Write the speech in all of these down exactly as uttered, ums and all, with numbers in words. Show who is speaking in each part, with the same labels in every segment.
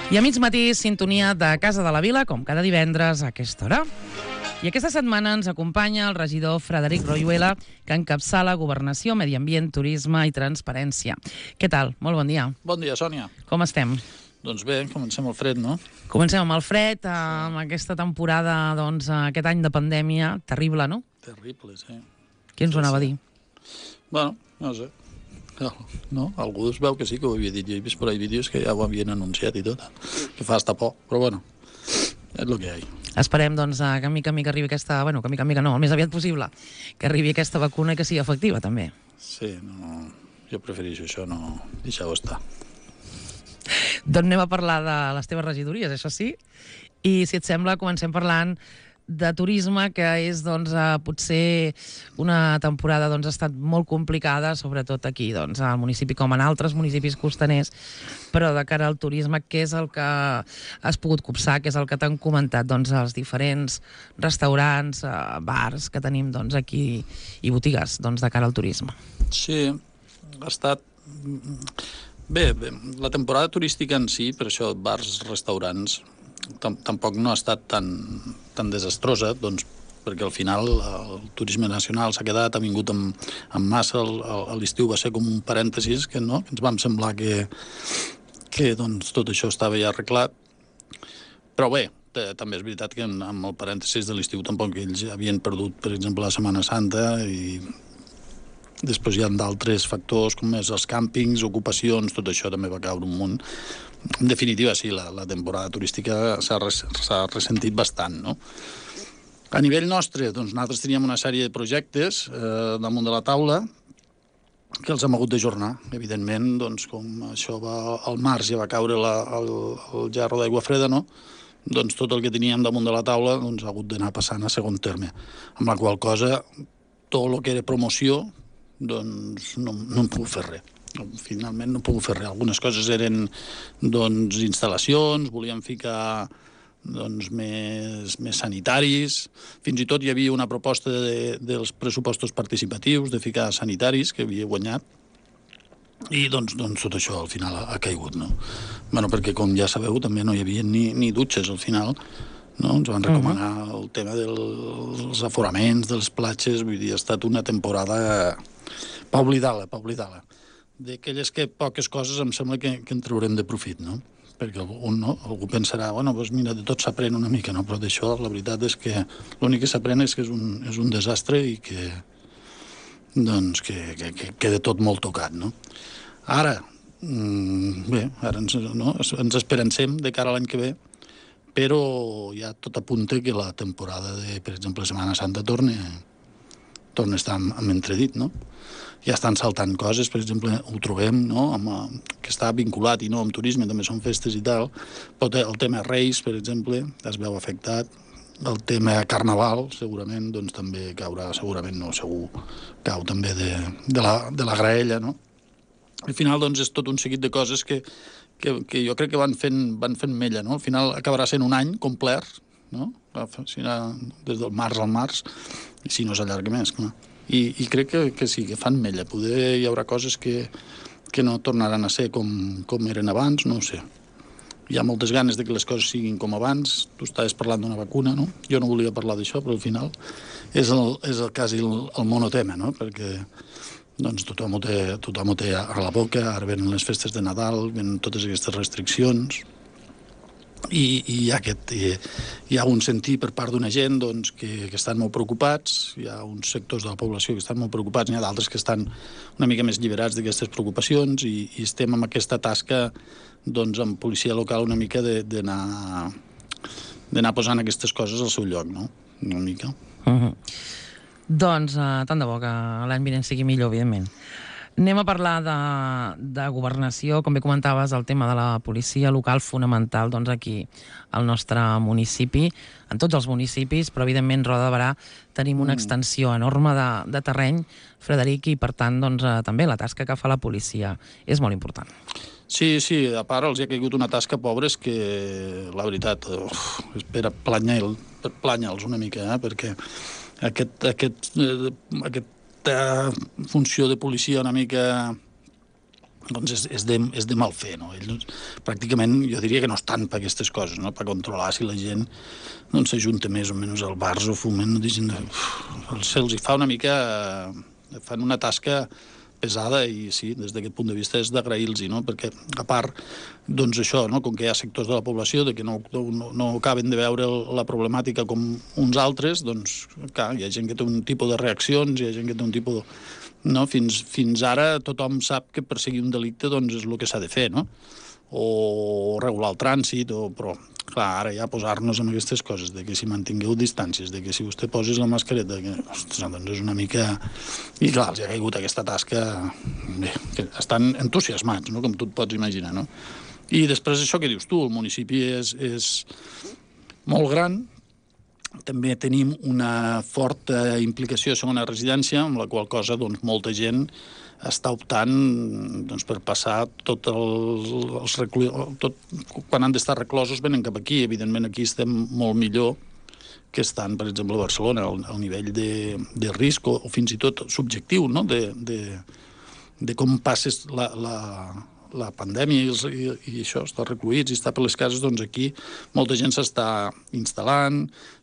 Speaker 1: I a mig matí, sintonia de Casa de la Vila, com cada divendres a aquesta hora. I aquesta setmana ens acompanya el regidor Frederic Royuela, que encapçala Governació, Medi Ambient, Turisme i Transparència. Què tal? Molt bon dia.
Speaker 2: Bon dia, Sònia.
Speaker 1: Com estem?
Speaker 2: Doncs bé, comencem el fred, no?
Speaker 1: Comencem amb el fred, amb aquesta temporada, doncs, aquest any de pandèmia, terrible, no?
Speaker 2: Terrible, sí.
Speaker 1: Qui ens ho anava a dir?
Speaker 2: Bueno, no sé. No? Algú es veu que sí que ho havia dit. Jo he vist per ahí vídeos que ja ho havien anunciat i tot. Que fa hasta por, però bueno, és el que hi ha.
Speaker 1: Esperem, doncs, que a mica a mica arribi aquesta... Bueno, que a mica a mica no, el més aviat possible, que arribi aquesta vacuna i que sigui efectiva, també.
Speaker 2: Sí, no... Jo prefereixo això, no... Deixar-ho estar.
Speaker 1: Doncs anem a parlar de les teves regidories, això sí, i si et sembla comencem parlant de turisme, que és doncs, eh, potser una temporada doncs, ha estat molt complicada, sobretot aquí, doncs, al municipi com en altres municipis costaners, però de cara al turisme, què és el que has pogut copsar, què és el que t'han comentat doncs, els diferents restaurants, eh, bars que tenim doncs, aquí i botigues doncs, de cara al turisme?
Speaker 2: Sí, ha estat... Bé, bé, la temporada turística en si, per això bars, restaurants, tampoc no ha estat tan, tan desastrosa, doncs, perquè al final el turisme nacional s'ha quedat, ha vingut amb, amb massa, l'estiu va ser com un parèntesis, que, no? que ens vam semblar que, que doncs, tot això estava ja arreglat. Però bé, també és veritat que amb el parèntesis de l'estiu tampoc ells havien perdut, per exemple, la Setmana Santa, i després hi ha d'altres factors, com és els càmpings, ocupacions, tot això també va caure un munt. En definitiva, sí, la, la temporada turística s'ha res, ressentit bastant, no? A nivell nostre, doncs, nosaltres teníem una sèrie de projectes eh, damunt de la taula que els hem hagut d'ajornar. Evidentment, doncs, com això va al març ja va caure la, el, el gerro d'aigua freda, no? Doncs tot el que teníem damunt de la taula doncs, ha hagut d'anar passant a segon terme. Amb la qual cosa, tot el que era promoció, doncs no, no hem pogut fer res. Finalment no hem pogut fer res. Algunes coses eren doncs, instal·lacions, volíem ficar doncs, més, més sanitaris. Fins i tot hi havia una proposta de, dels pressupostos participatius de ficar sanitaris, que havia guanyat. I doncs, doncs tot això al final ha, ha caigut, no? Bueno, perquè com ja sabeu també no hi havia ni, ni dutxes al final, no? Ens van recomanar uh -huh. el tema dels aforaments, dels platges, vull dir, ha estat una temporada per oblidar-la, per oblidar-la. D'aquelles que poques coses em sembla que, que en traurem de profit, no? Perquè algú, no? algú pensarà, bueno, doncs mira, de tot s'aprèn una mica, no? Però d'això la veritat és que l'únic que s'aprèn és que és un, és un desastre i que, doncs, que, que, que queda tot molt tocat, no? Ara, mmm, bé, ara ens, no? ens esperancem de cara a l'any que ve, però ja tot apunta que la temporada de, per exemple, Setmana Santa torna, torna a estar amb entredit, no? Ja estan saltant coses, per exemple, ho trobem, no? Amb, que està vinculat i no amb turisme, també són festes i tal, però el tema Reis, per exemple, es veu afectat, el tema Carnaval, segurament, doncs també caurà, segurament no, segur, cau també de, de, la, de la graella, no? Al final, doncs, és tot un seguit de coses que, que, que jo crec que van fent, van fent mella, no? Al final acabarà sent un any complet, no? Des del març al març, i si no s'allarga més, clar. I, i crec que, que sí, que fan mella. Poder hi haurà coses que, que no tornaran a ser com, com eren abans, no ho sé. Hi ha moltes ganes de que les coses siguin com abans. Tu estaves parlant d'una vacuna, no? Jo no volia parlar d'això, però al final és, el, és el, quasi el, el monotema, no? Perquè doncs, tothom, ho té, tothom ho té a la boca, ara venen les festes de Nadal, venen totes aquestes restriccions, i, i hi, ha aquest, hi, hi ha un sentir per part d'una gent doncs, que, que estan molt preocupats, hi ha uns sectors de la població que estan molt preocupats, n'hi ha d'altres que estan una mica més lliberats d'aquestes preocupacions, i, i estem amb aquesta tasca doncs, amb policia local una mica d'anar d'anar posant aquestes coses al seu lloc, no? Una mica.
Speaker 1: Uh-huh. Doncs uh, tant de bo que l'any vinent sigui millor, evidentment. Anem a parlar de, de governació, com bé comentaves, el tema de la policia local fonamental doncs, aquí al nostre municipi, en tots els municipis, però evidentment Roda de Berà tenim una extensió enorme de, de terreny, Frederic, i per tant doncs, eh, també la tasca que fa la policia és molt important.
Speaker 2: Sí, sí, a part els hi ha caigut una tasca, pobres, que la veritat uf, espera planyar-los planya una mica, eh, perquè aquest, aquest, eh, aquest funció de policia una mica doncs és, és, de, és de mal fer, no? Ells pràcticament jo diria que no estan per aquestes coses, no? Per controlar si la gent doncs s'ajunta més o menys al bars o fumen, se'ls hi fa una mica, fan una tasca pesada i sí, des d'aquest punt de vista és d'agrair-los, no? Perquè a part, doncs això, no? Com que hi ha sectors de la població de que no, no, no acaben de veure la problemàtica com uns altres, doncs clar, hi ha gent que té un tipus de reaccions, hi ha gent que té un tipus de... No? Fins, fins ara tothom sap que perseguir un delicte doncs, és el que s'ha de fer, no? O regular el trànsit, o... però clar, ara ja posar-nos en aquestes coses, de que si mantingueu distàncies, de que si vostè posis la mascareta, que, ostres, doncs és una mica... I clar, els ha caigut aquesta tasca... Bé, que estan entusiasmats, no? Com tu et pots imaginar, no? I després això que dius tu, el municipi és, és molt gran, també tenim una forta implicació a segona residència, amb la qual cosa doncs, molta gent està optant doncs, per passar tot els, els reclusos... Tot, quan han d'estar reclosos venen cap aquí. Evidentment aquí estem molt millor que estan, per exemple, a Barcelona, al, al nivell de, de risc o, o fins i tot subjectiu, no? de, de, de com passes la... la la pandèmia i, els, i, i això, estar recluïts i estar per les cases, doncs aquí molta gent s'està instal·lant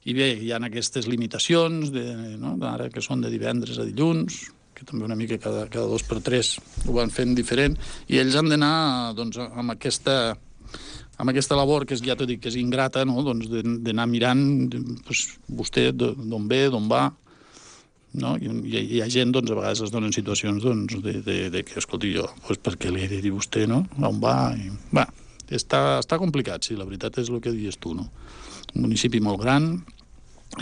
Speaker 2: i bé, hi ha aquestes limitacions de, no? Ara que són de divendres a dilluns, que també una mica cada, cada dos per tres ho van fent diferent, i ells han d'anar doncs, amb aquesta amb aquesta labor que és, ja t'ho dic, que és ingrata, no? Doncs d'anar mirant doncs, vostè d'on ve, d'on va, no? I hi, hi ha gent, doncs, a vegades es donen situacions doncs, de, de, de que, escolti, jo, doncs, per què li he de dir vostè, no? On va? I, va, està, està complicat, sí, la veritat és el que dius tu, no? Un municipi molt gran,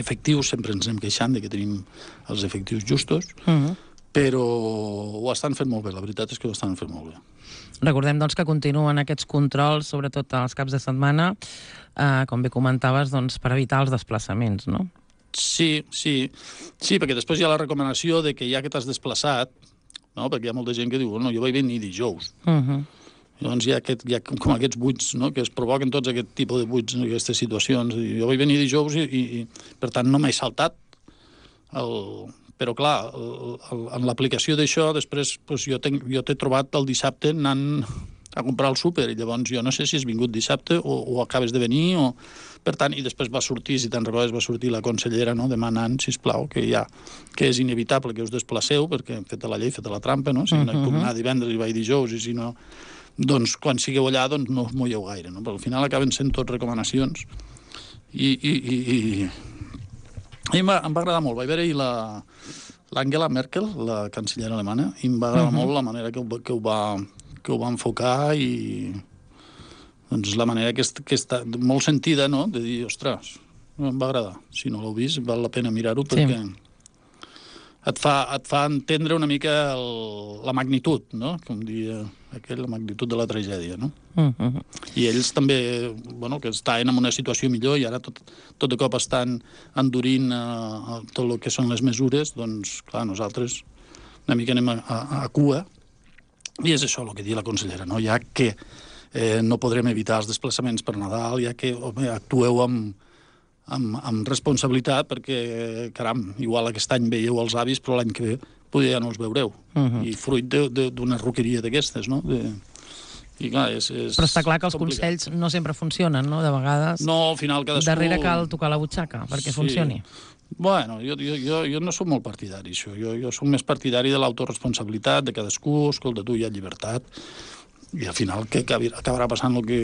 Speaker 2: efectius, sempre ens anem queixant de que tenim els efectius justos, uh-huh. Però ho estan fent molt bé, la veritat és que ho estan fent molt bé.
Speaker 1: Recordem, doncs, que continuen aquests controls, sobretot als caps de setmana, eh, com bé comentaves, doncs, per evitar els desplaçaments, no?
Speaker 2: Sí, sí, sí, perquè després hi ha la recomanació de que ja que t'has desplaçat, no? Perquè hi ha molta gent que diu, no, jo vaig venir dijous. Uh-huh. Llavors hi ha, aquest, hi ha com aquests buits, no? Que es provoquen tots aquest tipus de buits, aquestes situacions. Jo vaig venir dijous i, i, i per tant, no m'he saltat. El... Però, clar, el, el, en l'aplicació d'això, després doncs, jo t'he jo t'he trobat el dissabte anant a comprar el súper, i llavors jo no sé si has vingut dissabte o, o acabes de venir, o... Per tant, i després va sortir, si te'n recordes, va sortir la consellera, no?, demanant, sisplau, que ja, que és inevitable que us desplaceu, perquè feta la llei, feta la trampa, no? Si no hi puc anar divendres i vaig dijous, i si no... Doncs, quan sigueu allà, doncs no us molleu gaire, no? Però al final acaben sent tot recomanacions. I, i, i, i... i em, va, em va agradar molt. Vaig veure-hi la... l'Angela Merkel, la cancellera alemana, i em va agradar uh-huh. molt la manera que ho, que ho, va, que ho va enfocar i... Doncs la manera que, est, que està molt sentida, no?, de dir, ostres, em va agradar. Si no l'heu vist, val la pena mirar-ho, perquè sí. et, fa, et fa entendre una mica el, la magnitud, no?, com dia aquell, la magnitud de la tragèdia, no? Uh-huh. I ells també, bueno, que estaven en una situació millor i ara tot, tot de cop estan endurint uh, tot el que són les mesures, doncs, clar, nosaltres una mica anem a, a, a cua, i és això el que diu la consellera, no?, ja que Eh, no podrem evitar els desplaçaments per Nadal, ja que home, actueu amb, amb, amb responsabilitat, perquè, caram, igual aquest any veieu els avis, però l'any que ve potser ja no els veureu. Uh-huh. I fruit d'una roqueria d'aquestes, no? De... I, clar, és, és
Speaker 1: però està clar que els
Speaker 2: complicat.
Speaker 1: consells no sempre funcionen, no? De vegades
Speaker 2: no, al final cadascú...
Speaker 1: darrere cal tocar la butxaca perquè sí. funcioni.
Speaker 2: Bueno, jo, jo, jo, jo no soc molt partidari, això. Jo, jo soc més partidari de l'autoresponsabilitat de cadascú. Escolta, tu, hi ha llibertat. I al final que acabarà passant el que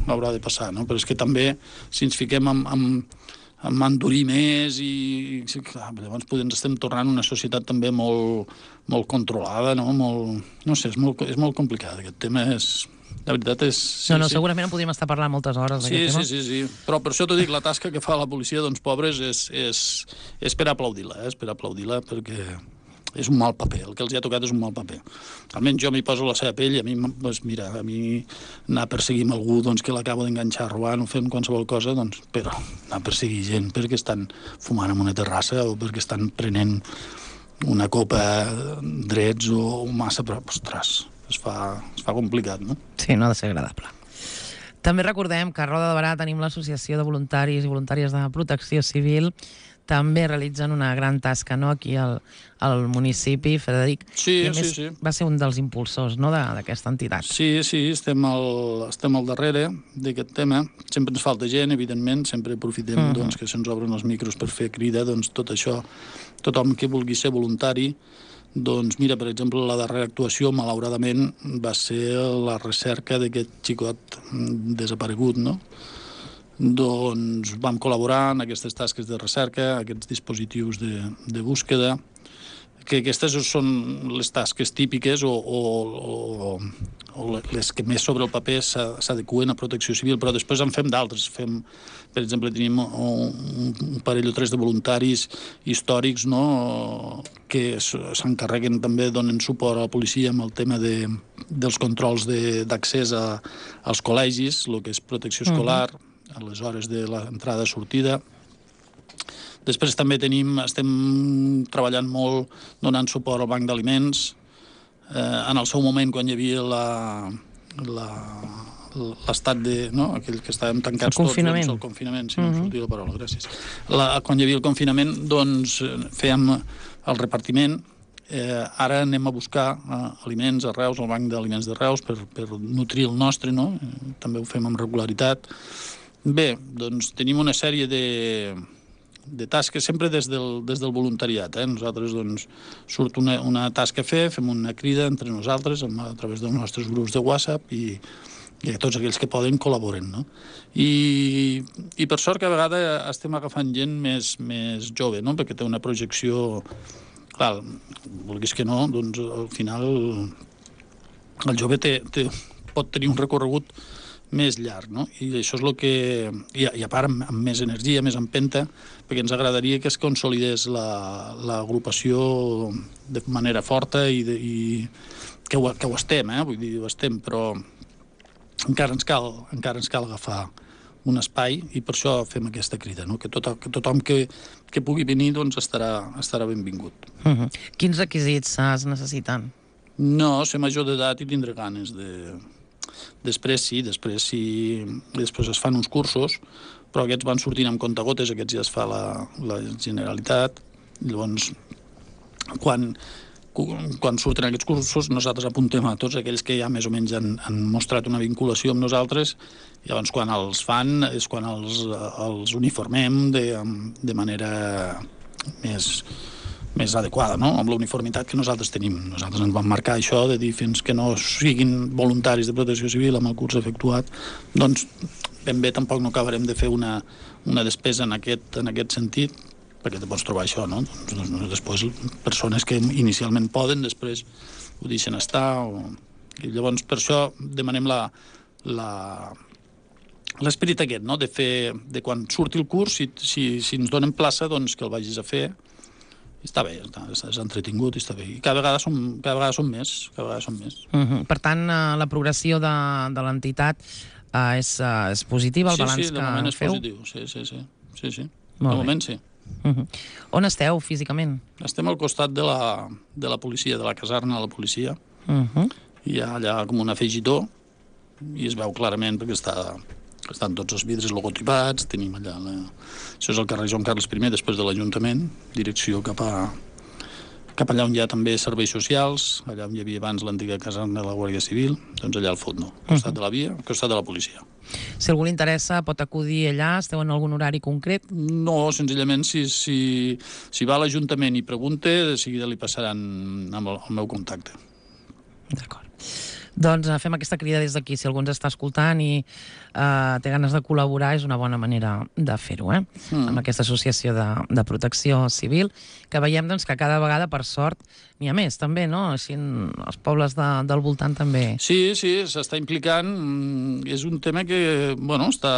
Speaker 2: haurà de passar, no? Però és que també, si ens fiquem amb, amb, amb endurir més i... Clar, llavors potser ens estem tornant una societat també molt, molt controlada, no? Molt, no sé, és molt, és molt complicat. Aquest tema és... La veritat és...
Speaker 1: Sí, no, no, sí. Segurament en podríem estar parlant moltes hores
Speaker 2: sí,
Speaker 1: d'aquest
Speaker 2: sí,
Speaker 1: tema.
Speaker 2: Sí, sí, sí. Però per això t'ho dic, la tasca que fa la policia, doncs, pobres, és, és, és per aplaudir-la, eh? És per aplaudir-la perquè... és un mal paper, el que els ha tocat és un mal paper. Almenys jo m'hi poso la seva pell i a mi, doncs, mira, a mi anar a perseguir amb algú doncs, que l'acabo d'enganxar robant o fent qualsevol cosa, doncs, però anar a perseguir gent perquè estan fumant en una terrassa o perquè estan prenent una copa drets o massa, però, ostres, es fa, es fa complicat, no?
Speaker 1: Sí, no ha de ser agradable. També recordem que a Roda de Barà tenim l'Associació de Voluntaris i Voluntàries de Protecció Civil. també realitzen una gran tasca, no?, aquí al, al municipi, Frederic.
Speaker 2: Sí,
Speaker 1: I a més,
Speaker 2: sí, sí.
Speaker 1: va ser un dels impulsors, no?, de- d'aquesta entitat.
Speaker 2: Sí, sí, estem al, estem al darrere d'aquest tema. Sempre ens falta gent, evidentment, sempre aprofitem uh -huh. doncs, que se'ns obren els micros per fer crida, doncs tot això, tothom que vulgui ser voluntari, doncs mira, per exemple, la darrera actuació, malauradament, va ser la recerca d'aquest xicot desaparegut, no? Doncs vam col·laborar en aquestes tasques de recerca, aquests dispositius de, de búsqueda, que aquestes són les tasques típiques o, o, o, o les que més sobre el paper s'adequen a protecció civil, però després en fem d'altres. Fem, per exemple, tenim un, un parell o tres de voluntaris històrics, no?, que s'encarreguen també, donen suport a la policia amb el tema de, dels controls d'accés als col·legis, el que és protecció escolar, uh-huh. a les hores de l'entrada i sortida. Després també tenim, estem treballant molt donant suport al banc d'aliments. Eh, en el seu moment, quan hi havia la, la, l'estat de... no? Aquell que estàvem tancats
Speaker 1: el confinament.
Speaker 2: tots, doncs, el confinament, si no em sortia la paraula, gràcies. La, quan hi havia el confinament, doncs fèiem el repartiment. Eh, ara anem a buscar eh, aliments a Reus, al banc d'aliments de Reus, per, per nutrir el nostre, no? Eh, també ho fem amb regularitat. Bé, doncs tenim una sèrie de... de tasques, sempre des del, des del voluntariat. Eh? Nosaltres, doncs, surt una, una tasca a fer, fem una crida entre nosaltres a través dels nostres grups de WhatsApp i, i tots aquells que poden col·laboren, no? I, i per sort cada vegada estem agafant gent més, més jove, no? Perquè té una projecció... Clar, vulguis que no, doncs al final el jove té, té, pot tenir un recorregut més llarg, no? I això és el que... I, i a part, amb, amb més energia, més empenta, perquè ens agradaria que es consolidés l'agrupació la, de manera forta i, de, i que, ho, que ho estem, eh? Vull dir, ho estem, però encara ens cal, encara ens cal agafar un espai i per això fem aquesta crida, no? Que, tot, que tothom que, que pugui venir doncs estarà, estarà benvingut.
Speaker 1: Uh-huh. Quins requisits es necessiten?
Speaker 2: No, ser major d'edat i tindre ganes de... Després sí, després sí, després es fan uns cursos, però aquests van sortint amb comptagotes, aquests ja es fa la, la Generalitat. Llavors, quan, quan surten aquests cursos, nosaltres apuntem a tots aquells que ja més o menys han, han mostrat una vinculació amb nosaltres, i llavors quan els fan és quan els, els uniformem de, de manera més... més adequada, no?, amb la uniformitat que nosaltres tenim. Nosaltres ens vam marcar això de dir fins que no siguin voluntaris de protecció civil amb el curs efectuat, doncs ben bé tampoc no acabarem de fer una, una despesa en aquest, en aquest sentit, perquè te pots trobar això, no? Doncs, doncs, després persones que inicialment poden, després ho deixen estar, o... I llavors per això demanem la, la, l'esperit aquest, no?, de fer, de quan surti el curs, si, si, si ens donen plaça, doncs que el vagis a fer. Està bé, està, és entretingut, està bé. I cada vegada som, cada vegada som més, cada vegada som més.
Speaker 1: Uh-huh. Per tant, uh, la progressió de, de l'entitat uh, és, uh, és positiva, el
Speaker 2: sí,
Speaker 1: balanç
Speaker 2: sí,
Speaker 1: que feu?
Speaker 2: Sí, de moment és positiu, sí, sí, sí. sí, sí.
Speaker 1: Molt
Speaker 2: de
Speaker 1: bé.
Speaker 2: moment sí.
Speaker 1: Uh-huh. On esteu físicament?
Speaker 2: Estem al costat de la, de la policia, de la caserna de la policia.
Speaker 1: Uh-huh.
Speaker 2: Hi ha allà com un afegitó i es veu clarament perquè està... estan tots els vidres logotipats, tenim allà... La... Això és el carrer Joan Carles primer, després de l'Ajuntament, direcció cap a cap allà on hi ha també serveis socials, allà on hi havia abans l'antiga caserna de la Guàrdia Civil, doncs allà al fons, no? Al costat de la via, al costat de la policia.
Speaker 1: Si algú li interessa, pot acudir allà? Esteu en algun horari concret?
Speaker 2: No, senzillament, si, si, si va a l'Ajuntament i pregunta, de seguida li passaran amb el, el meu contacte.
Speaker 1: D'acord. Doncs uh, fem aquesta crida des d'aquí. Si algú ens està escoltant i uh, té ganes de col·laborar, és una bona manera de fer-ho, eh? Mm. Amb aquesta associació de, de protecció civil, que veiem doncs, que cada vegada, per sort, n'hi ha més, també, no? Així, els pobles de, del voltant també.
Speaker 2: Sí, sí, s'està implicant. És un tema que, bueno, està...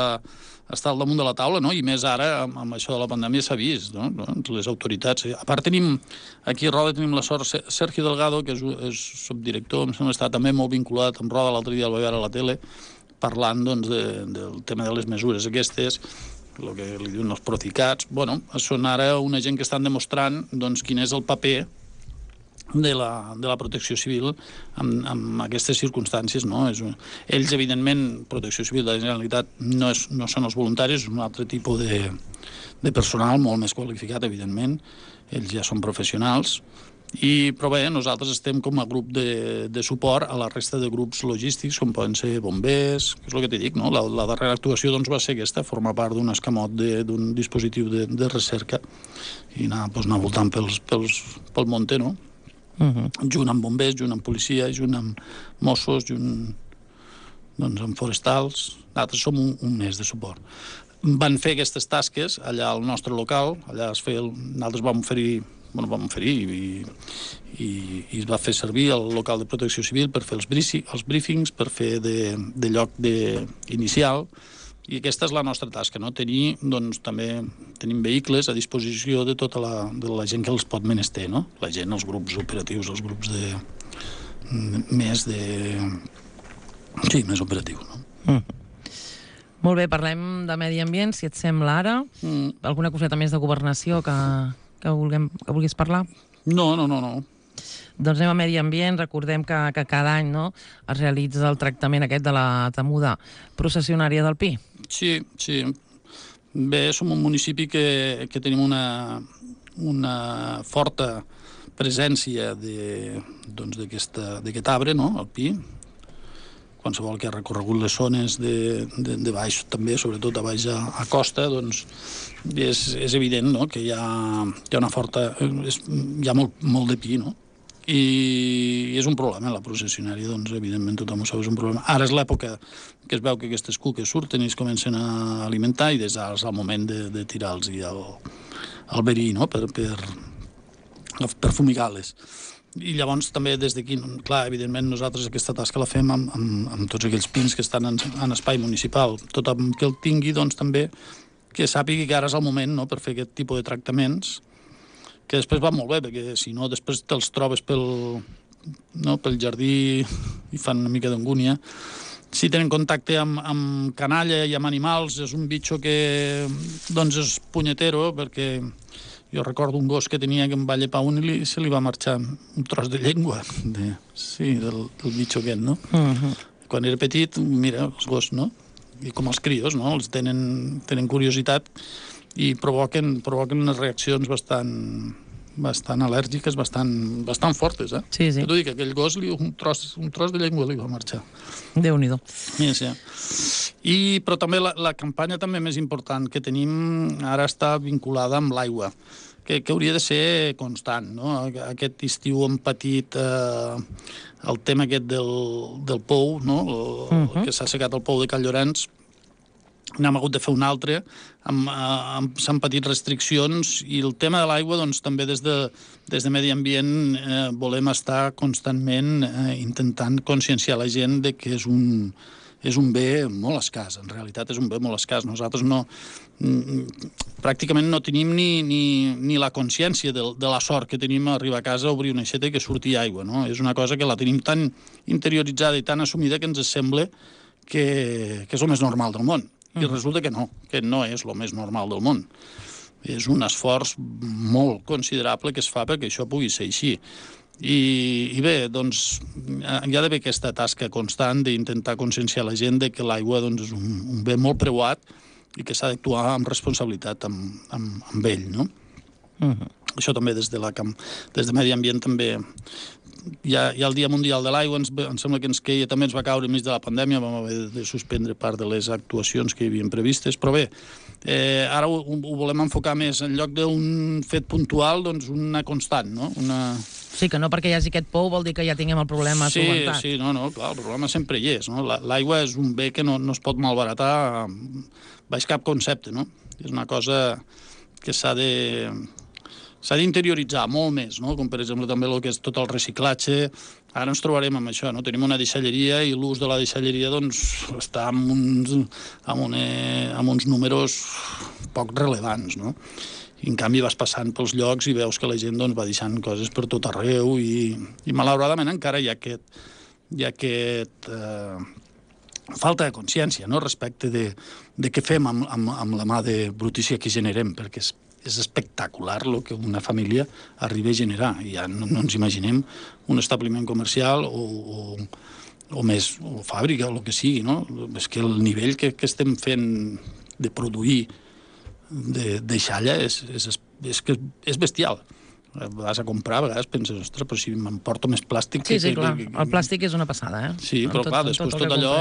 Speaker 2: està al damunt de la taula, no? I més ara, amb, amb això de la pandèmia, s'ha vist, no? Les autoritats... A part, tenim, aquí a Roda tenim la sort, Sergio Delgado, que és, és subdirector, em sembla, està també molt vinculat amb Roda, l'altre dia el vaig veure a la tele, parlant, doncs, de, del tema de les mesures aquestes, el que li diuen els proficats. Bueno, són ara una gent que estan demostrant, doncs, quin és el paper de la, de la protecció civil amb, amb aquestes circumstàncies, no? És un, ells, evidentment, Protecció Civil de la Generalitat no, és, no són els voluntaris, és un altre tipus de, de personal molt més qualificat, evidentment. Ells ja són professionals. I, però bé, nosaltres estem com a grup de, de suport a la resta de grups logístics, com poden ser bombers, que és el que t'he dit, no? La, la darrera actuació doncs, va ser aquesta, formar part d'un escamot d'un dispositiu de, de recerca i anar, doncs, anar voltant pels, pels, pel monte, no? Uh-huh. Junt amb bombers, junt amb policia, junt amb Mossos, junt doncs, amb forestals. Nosaltres som un, un mes de suport. Van fer aquestes tasques allà al nostre local, allà es feia, nosaltres vam oferir bueno, vam oferir i, i, i es va fer servir el local de protecció civil per fer els, brifi, els briefings, per fer de, de lloc de, inicial, i aquesta és la nostra tasca, no? Tenir, doncs, també tenim vehicles a disposició de tota la, de la gent que els pot menester, no? La gent, els grups operatius, els grups de, de més de... sí, més operatius, no?
Speaker 1: Mm. Molt bé, parlem de medi ambient, si et sembla ara. Mm. Alguna coseta més de governació que... que, vulguem, que vulguis parlar?
Speaker 2: No, no, no, no.
Speaker 1: Doncs anem a medi ambient. Recordem que, que cada any, no, es realitza el tractament aquest de la temuda processionària del Pi.
Speaker 2: Sí, sí. Bé, som un municipi que, que tenim una, una forta presència doncs, d'aquest arbre, no?, el Pi. Qualsevol que ha recorregut les zones de, de, de baix, també, sobretot a baix a, a costa, doncs és, és evident, no?, que hi ha, hi ha una forta... És, hi ha molt, molt de pi, no? I, i és un problema, la processionària, doncs, evidentment, tothom ho sap, és un problema. Ara és l'època que es veu que aquestes cuques surten i es comencen a alimentar i des d'ara és el moment de, de tirar-los el, el verí, no?, per, per, per fumigar-les. I llavors també des d'aquí, clar, evidentment nosaltres aquesta tasca la fem amb, amb, amb tots aquells pins que estan en, en espai municipal. Tothom que el tingui, doncs també que sàpigui que ara és el moment, no?, per fer aquest tipus de tractaments, que després va molt bé, perquè si no després te'ls trobes pel, no, pel jardí i fan una mica d'angúnia. Si tenen contacte amb, amb canalla i amb animals, és un bitxo que doncs és punyetero, perquè jo recordo un gos que tenia que em va llepar un i li, se li va marxar un tros de llengua, de, sí, del, del bitxo aquest, no? Uh-huh. Quan era petit, mira, els gos, no? I com els crios, no? Els tenen, tenen curiositat i provoquen, provoquen unes reaccions bastant, bastant al·lèrgiques, bastant, bastant fortes, eh?
Speaker 1: Sí, sí.
Speaker 2: T'ho dic, aquell gos, li, un, tros, un tros de llengua li va marxar.
Speaker 1: Déu-n'hi-do.
Speaker 2: Sí, sí. I, però també la, la campanya també més important que tenim ara està vinculada amb l'aigua, que, que hauria de ser constant, no? Aquest estiu hem patit eh, el tema aquest del, del pou, no? El, uh-huh. que s'ha assecat el pou de Cal Llorenç. N'hem hagut de fer un altre, amb, amb, s'han patit restriccions i el tema de l'aigua, doncs, també des de, des de Medi Ambient eh, volem estar constantment eh, intentant conscienciar la gent de que és un, és un bé molt escàs, en realitat és un bé molt escàs. Nosaltres no, pràcticament no tenim ni, ni, ni la consciència de, de la sort que tenim a arribar a casa a obrir una aixeta i que surti aigua, no? És una cosa que la tenim tan interioritzada i tan assumida que ens sembla que, que és el més normal del món. I resulta que no, que no és el més normal del món. És un esforç molt considerable que es fa perquè això pugui ser així. I, i bé, doncs, hi ha d'haver aquesta tasca constant d'intentar conscienciar la gent de que l'aigua doncs, és un, un bé molt preuat i que s'ha d'actuar amb responsabilitat amb, amb, amb ell, no? Uh-huh. Això també des de, la, des de Medi Ambient també... Hi ha, hi ha el Dia Mundial de l'Aigua, ens, em sembla que ens queia, també ens va caure enmig de la pandèmia, vam haver de suspendre part de les actuacions que hi havien previstes, però bé, eh, ara ho, ho volem enfocar més, en lloc d'un fet puntual, doncs una constant, no? Una...
Speaker 1: Sí, que no perquè hi hagi aquest pou vol dir que ja tinguem el problema
Speaker 2: sí,
Speaker 1: solventat.
Speaker 2: Sí, no, no, clar, el problema sempre hi és, no? L'aigua és un bé que no, no es pot malbaratar baix cap concepte, no? És una cosa que s'ha de... s'ha d'interioritzar molt més, no? Com per exemple també el que és tot el reciclatge. Ara ens trobarem amb això, no? Tenim una deixalleria i l'ús de la deixalleria doncs, està amb uns, amb, una, amb uns números poc rellevants, no? I en canvi vas passant pels llocs i veus que la gent doncs, va deixant coses per tot arreu i, i malauradament encara hi ha aquest, hi ha aquest, eh, falta de consciència, no?, respecte de, de què fem amb, amb, amb la mà de brutícia que generem, perquè és, és espectacular el que una família arriba a generar. Ja no, no ens imaginem un establiment comercial o, o, o més, o fàbrica, o el que sigui, no? És que el nivell que, que estem fent de produir de, de xalla és, és, és, que és bestial. Vas a comprar, a vegades penses, ostres, però si m'emporto més plàstic...
Speaker 1: Sí, sí,
Speaker 2: que,
Speaker 1: clar,
Speaker 2: que, que...
Speaker 1: el plàstic és una passada, eh?
Speaker 2: Sí, però
Speaker 1: tot,
Speaker 2: clar, després tot, tot allò...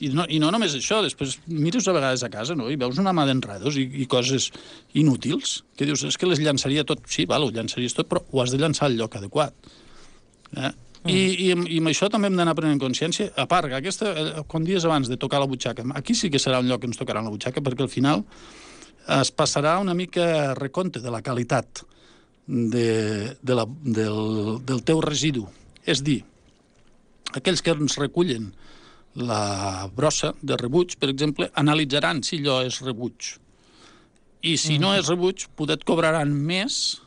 Speaker 2: I no, I no només això, després mires a vegades a casa, no?, i veus una mà d'enredos i, i coses inútils, que dius, és que les llançaria tot... Sí, val, ho llançaries tot, però ho has de llançar al lloc adequat. Eh? Mm. I, i, I amb això també hem d'anar prenent consciència. A part, aquesta, quan dies abans de tocar la butxaca, aquí sí que serà un lloc que ens tocarà la butxaca, perquè al final es passarà una mica recompte de la qualitat De, de la, del, del teu residu. És dir, aquells que ens recullen la brossa de rebuig, per exemple, analitzaran si allò és rebuig. I si mm. no és rebuig, poder et cobraran més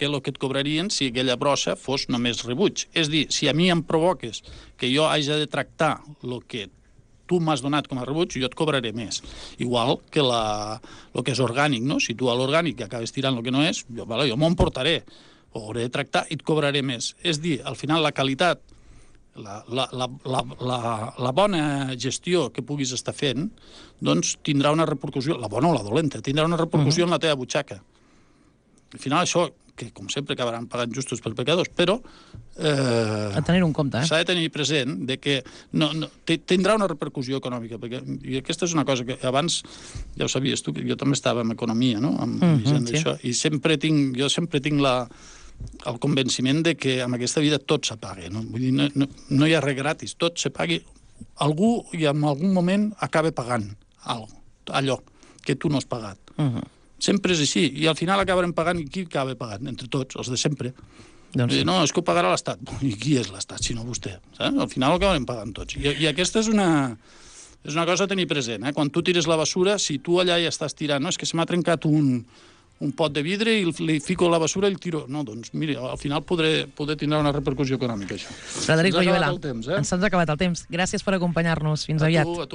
Speaker 2: que el que et cobrarien si aquella brossa fos només rebuig. És dir, si a mi em provoques que jo hagi de tractar el que tu m'has donat com a rebuig, jo et cobraré més. Igual que la, el que és orgànic, no? Si tu a l'orgànic acabes tirant el que no és, jo, vale, jo m'ho emportaré, ho hauré de tractar i et cobraré més. És dir, al final la qualitat, la, la, la, la, la, la bona gestió que puguis estar fent, doncs tindrà una repercussió, la bona o la dolenta, tindrà una repercussió uh-huh. en la teva butxaca. Al final això, que com sempre acabaran pagant justos per pecadors, però eh,
Speaker 1: a tenir un compte, eh?
Speaker 2: S'ha de tenir present de que no, no, tindrà una repercussió econòmica, perquè i aquesta és una cosa que abans, ja ho sabies tu, que jo també estava en economia, no?, amb mm-hmm, gent d'això, sí. I sempre tinc, jo sempre tinc la, el convenciment de que en aquesta vida tot s'apaga, no? Vull dir, no, no, no hi ha res gratis, tot s'apagui, algú i en algun moment acaba pagant allò que tu no has pagat. Mm-hmm. Sempre és així, i al final acabarem pagant, i qui acaba pagant? Entre tots, els de sempre. Doncs sí. No, és que ho pagarà l'Estat. I qui és l'Estat, si no vostè? Saps? Al final ho acabarem pagant tots. I, i aquesta és una, és una cosa a tenir present, eh? Quan tu tires la basura, si tu allà ja estàs tirant, no, és que se m'ha trencat un, un pot de vidre i li fico la basura i el tiro. No, doncs, mira, al final podré, podré tindrà una repercussió econòmica, això.
Speaker 1: Frederic Boyuela,
Speaker 2: eh?
Speaker 1: ens ha acabat el temps. Gràcies per acompanyar-nos. Fins
Speaker 2: a
Speaker 1: aviat.
Speaker 2: Tu, a tu.